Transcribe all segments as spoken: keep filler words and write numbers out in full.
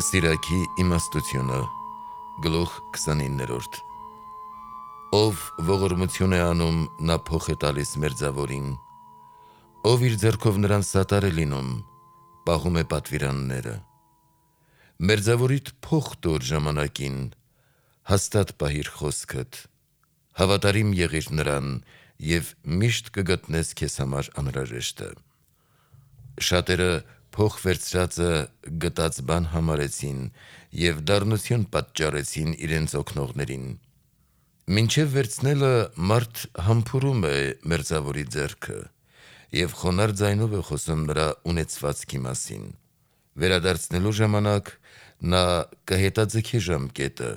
Սիրակի իմաստությունը գլուխ քսանիններորդ Ով ողորմություն է անում, նա փոխ է տալիս մերձավորին, ով իր ձեռքով նրան սատար է լինում, պահում է պատվիրանները։ Մերձավորիդ փոխ տուր ժամանակին, հաստատ պահիր խոսքդ, հավատարիմ եղիր նրան և միշտ կգտնես քեզ համար անհրաժեշտը։ Շատերը փոխ վերցրածը գտած բան համարեցին և դառնություն պատճառեցին իրենց օգնողներին։ Մինչև վերցնելը մարդ համբուրում է մերձավորի ձեռքը և խոնարհ ձայնով է խոսում նրա ունեցվածքի մասին։ Վերադարձնելու ժամանակ նա կհետաձգի ժամկետը,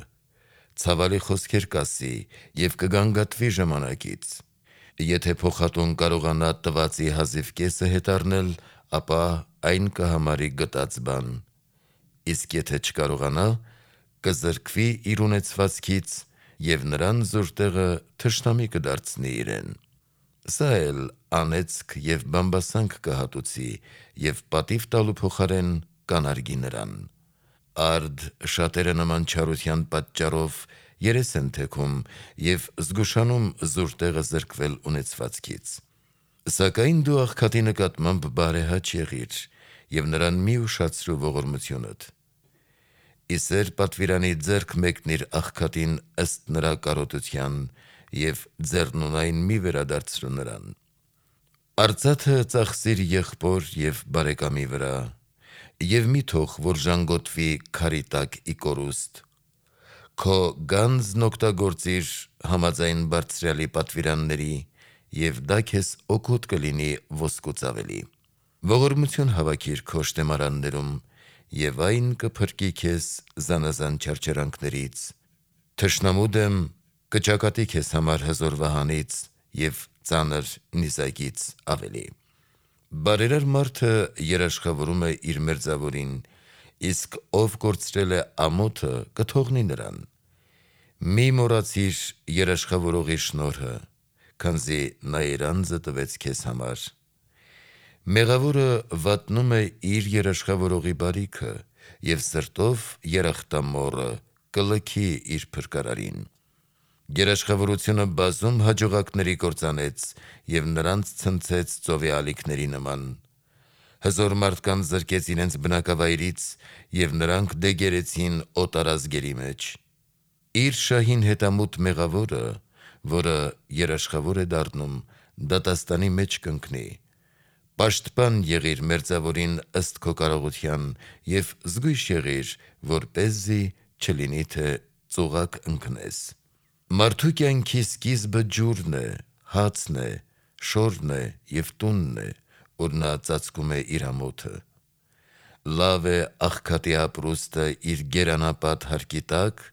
ցավալի խոսքեր կասի և կգանգատվի ժամանակից։ Եթե փոխատուն կարողանա տվածի հազիվ կեսը հետ առնել, ապա այն կհամարի գտած բան, իսկ եթե չկարողանա, կզրկվի իր ունեցվածքից և նրան զուր տեղը թշնամի կդարձնի իրեն։ Սա էլ անեծք և բամբասանք կհատուցի և պատիվ տալու փոխարեն կանարգի նրան։ Արդ շատերը նման չարության պատճառով երես են թեքում և զգուշանում զուր տեղը զրկվել ունեցվածքից։ Սակայն դու աղքատի նկատմամբ բարեհաճ եղիր և նրան մի ուշացրու ողորմությունդ։ Իսեր պատվիրանի ձեռք մեկնիր աղքատին ըստ նրա կարոտության և ձեռնունայն մի վերադարձրու նրան։ Արծաթը ծախսիր եղբոր և բարեկամի վրա և մի թող, որ ժանգոտվի քարի տակ ի կորուստ։ Քո գանձն օգտագործիր համաձայն Բարձրյալի պատվիրանների և դա քեզ օգուտ կլինի ոսկուց ավելի։ Ողորմություն հավաքիր քո շտեմարաններում և այն կփրկի քեզ զանազան չարչարանքներից։ Թշնամու դեմ կճակատի քեզ համար հզոր վահանից և ծանր նիզակից ավելի։ Բարերար մարդը երաշխավորում է իր մերձավորին, իսկ ով կորցրել է ամոթը, կթողնի նրան։ Մի մոռացիր երաշխավորողի շնորհը, քանզի նա իր անձը տվեց քեզ համար։ Մեղավորը վատնում է իր երաշխավորողի բարիքը և սրտով երախտամոռը կլքի իր փրկարարին։ Երաշխավորությունը բազում հաջողակների կործանեց և նրանց ցնցեց ծովի ալիքների նման։ Հզոր մարդկանց զրկեց իրենց բնակավայրից և նրանք դեգերեցին օտարազգերի մեջ։ Իր շահին հետամուտ մեղավորը, որը երաշխավոր է դառնում, դատաստանի մեջ կընկնի։ Պաշտպան եղիր մերձավորին ըստ քո կարողության և զգույշ եղիր, որպեսզի չլինի, թե ծուղակ ընկնես։ Մարդու կյանքի սկիզբը ջուրն է, հացն է, շորն է և տունն է, ուր նա ծածկում է իր ամոթը։ Լավ է աղքատի ապրուստը իր գերանապատ հարկի տակ,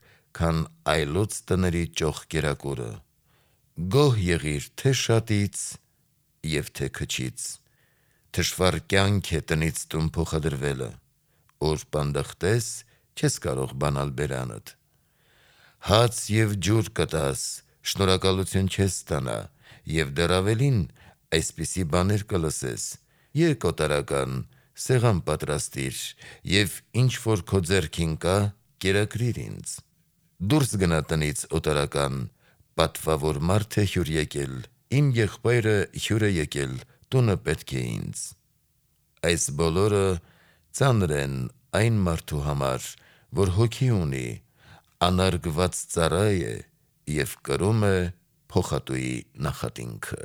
քան այլոց տների ճոխ կերակուրը։ Գոհ եղիր թե՛ շատից և թե՛ քչից։ Թշվառ կյանք է տնից տուն փոխադրվելը, ուր պանդխտես, չես կարող բանալ բերանդ։ Հաց և ջուր կտաս, շնորհակալություն չես ստանա, և դեռ ավելին, այսպիսի բաներ կլսես. «Եկ օտարական, սեղան պատրաստիր և ինչ որ քո ձեռքին կա, կերակրիր ինձ»։ Դուրս գնա տնից օտարական, պատվավոր մարդ է հյուր եկել, իմ եղբայրը հյուր է եկել, տունը պետք է ինձ։ Այս բոլորը ծանր են այն մարդու համար, որ հոգի ունի, անարգված ծառա է և կրում է փոխատուի նախատինքը։